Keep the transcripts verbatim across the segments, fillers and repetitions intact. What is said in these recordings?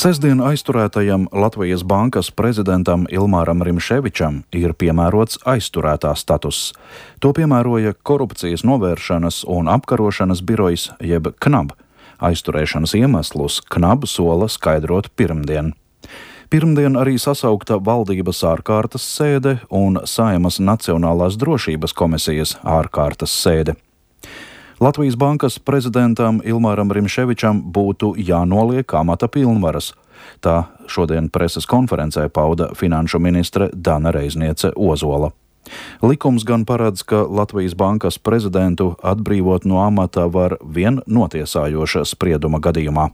Sestdien aizturētajam Latvijas bankas prezidentam Ilmāram Rimševičam ir piemērots aizturētā status. To piemēroja Korupcijas novēršanas un apkarošanas birojs jeb KNAB. Aizturēšanas iemeslus KNAB sola skaidrot pirmdien. Pirmdien arī sasaukta valdības ārkārtas sēde un Saeimas Nacionālās drošības komisijas ārkārtas sēde. Latvijas bankas prezidentam Ilmāram Rimševičam būtu jānoliek amata pilnvaras. Tā šodien preses konferencē pauda finanšu ministre Dana Reizniece Ozola. Likums gan paredz, ka Latvijas bankas prezidentu atbrīvot no amata var vien notiesājoša sprieduma gadījumā.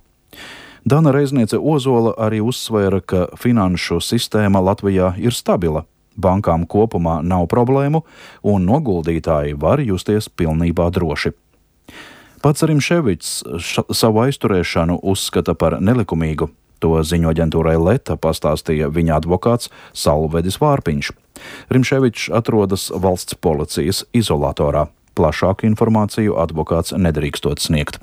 Dana Reizniece Ozola arī uzsvēra, ka finanšu sistēma Latvijā ir stabila. Bankām kopumā nav problēmu un noguldītāji var justies pilnībā droši. Pats Rimševičs savu aizturēšanu uzskata par nelikumīgu. To ziņo aģentūrai Leta pastāstīja viņa advokāts Salvedis Vārpiņš. Rimševičs atrodas valsts policijas izolatorā. Plašāku informāciju advokāts nedrīkstot sniegt.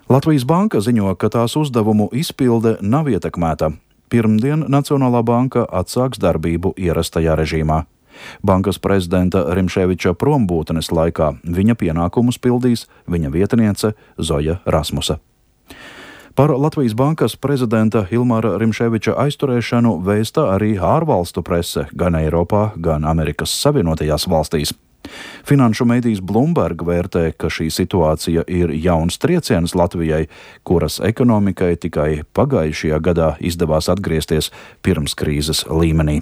Latvijas banka ziņo, ka tās uzdevumu izpilde nav ietekmēta. Pirmdien Nacionālā banka atsāks darbību ierastajā režīmā. Bankas prezidenta Rimševiča prombūtnes laikā viņa pienākumus pildīs viņa vietniece Zoja Rasmusa. Par Latvijas bankas prezidenta Ilmāra Rimševiča aizturēšanu vēsta arī ārvalstu prese gan Eiropā, gan Amerikas Savienotajās valstīs. Finanšu medijs Bloomberg vērtē, ka šī situācija ir jauns trieciens Latvijai, kuras ekonomikai tikai pagājušajā gadā izdevās atgriezties pirms krīzes līmenī.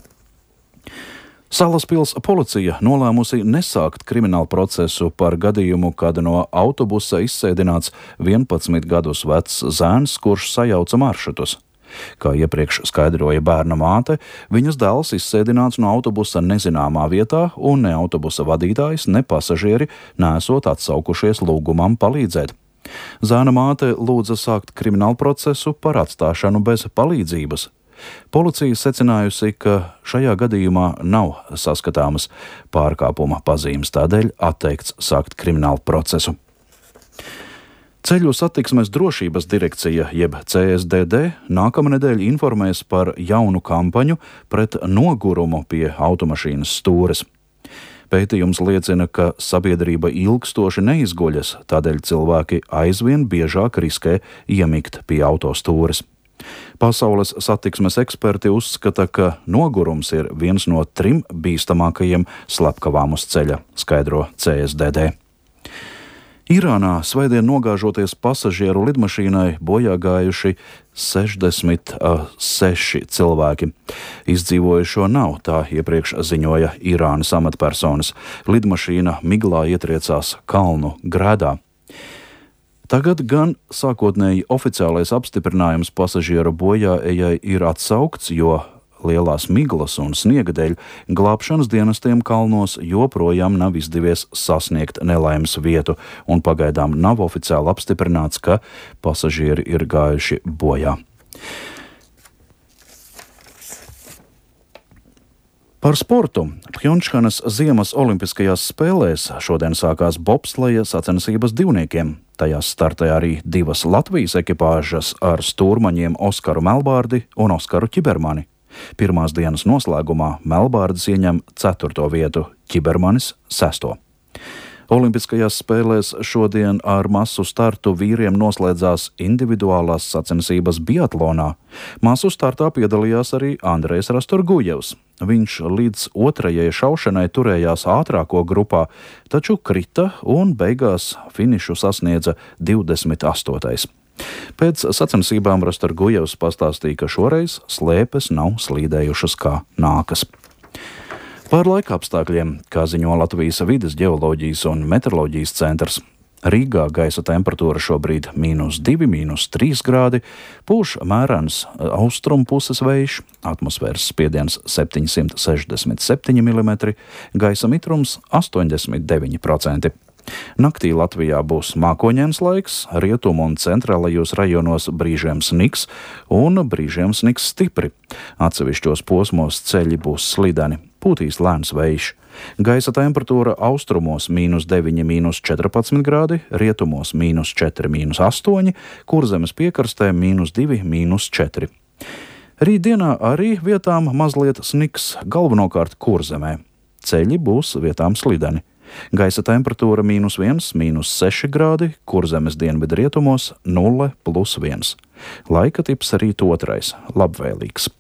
Salaspils policija nolēmusi nesākt kriminālu procesu par gadījumu, kad no autobusa izsēdināts vienpadsmit gadus vecs zēns, kurš sajauca maršrutus. Kā iepriekš skaidroja bērna māte, viņas dēls izsēdināts no autobusa nezināmā vietā, un ne autobusa vadītājs, ne pasažieri nesot atsaukušies lūgumam palīdzēt. Zēna māte lūdza sākt kriminālu procesu par atstāšanu bez palīdzības. Policija secinājusi, ka šajā gadījumā nav saskatāmas pārkāpuma pazīmes, tādēļ atteikts sākt kriminālu procesu. Ceļu satiksmes drošības direkcija, jeb C S D D, nākamnedēļ informēs par jaunu kampaņu pret nogurumu pie automašīnas stūres. Pētījums liecina, ka sabiedrība ilgstoši neizguļas, tādēļ cilvēki aizvien biežāk riskē iemigt pie autostūres. Pasaules satiksmes eksperti uzskata, ka nogurums ir viens no trim bīstamākajiem slepkavām uz ceļa, skaidro C S D D. Irānā svētdien nogāžoties pasažieru lidmašīnai bojā gājuši sešdesmit seši cilvēki. Izdzīvojušo nav, tā iepriekš ziņoja Irānas amatpersonas. Lidmašīna miglā ietriecās kalnu grēdā. Tagad gan sākotnēji oficiālais apstiprinājums pasažieru bojāejai ir atsaukts, jo lielās miglas un sniega dēļ glābšanas dienestiem kalnos joprojām nav izdevies sasniegt nelaimes vietu, un pagaidām nav oficiāli apstiprināts, ka pasažieri ir gājuši bojā. Par sportu. Pjončhanas ziemas olimpiskajās spēlēs šodien sākās bobsleja sacensības divniekiem. Tajās startē arī divas Latvijas ekipāžas ar stūrmaņiem Oskaru Melbārdi un Oskaru Ķibermani. Pirmās dienas noslēgumā Melbārdis ieņem ceturto vietu, Ķibermanis sesto. Olimpiskajās spēlēs šodien ar masu startu vīriem noslēdzās individuālās sacensības biatlonā. Masu startā piedalījās arī Andrejs Rastorgujevs. Viņš līdz otrajai šaušanai turējās ātrāko grupā, taču krita un beigās finišu sasniedza divdesmit astotais. Pēc sacensībām Rastorgujevs pastāstīja, ka šoreiz slēpes nav slīdējušas kā nākas. Par laika apstākļiem, kā ziņo Latvijas vides ģeoloģijas un meteoroloģijas centrs. Rīgā gaisa temperatūra šobrīd mīnus divi, mīnus trīs grādi, pūš mērens austrumu puses vējš, atmosfēras spiediens septiņsimt sešdesmit septiņi milimetri, gaisa mitrums astoņdesmit deviņi procenti. Naktī Latvijā būs mākoņains laiks, rietumu un centrālajos rajonos brīžiem sniks un brīžiem sniks stipri. Atsevišķos posmos ceļi būs slideni. pūtīs lēns vējš. Gaisa temperatūra austrumos mīnus deviņi, mīnus četrpadsmit grādi, rietumos mīnus četri, mīnus astoņi, Kurzemes piekrastē mīnus divi, mīnus četri. Rītdienā arī vietām mazliet sniks, galvenokārt Kurzemē. Ceļi būs vietām slideni. Gaisa temperatūra mīnus viens, mīnus seši grādi, Kurzemes dienvidrietumos nulle plus viens. Laika tips rīt otrais, labvēlīgs.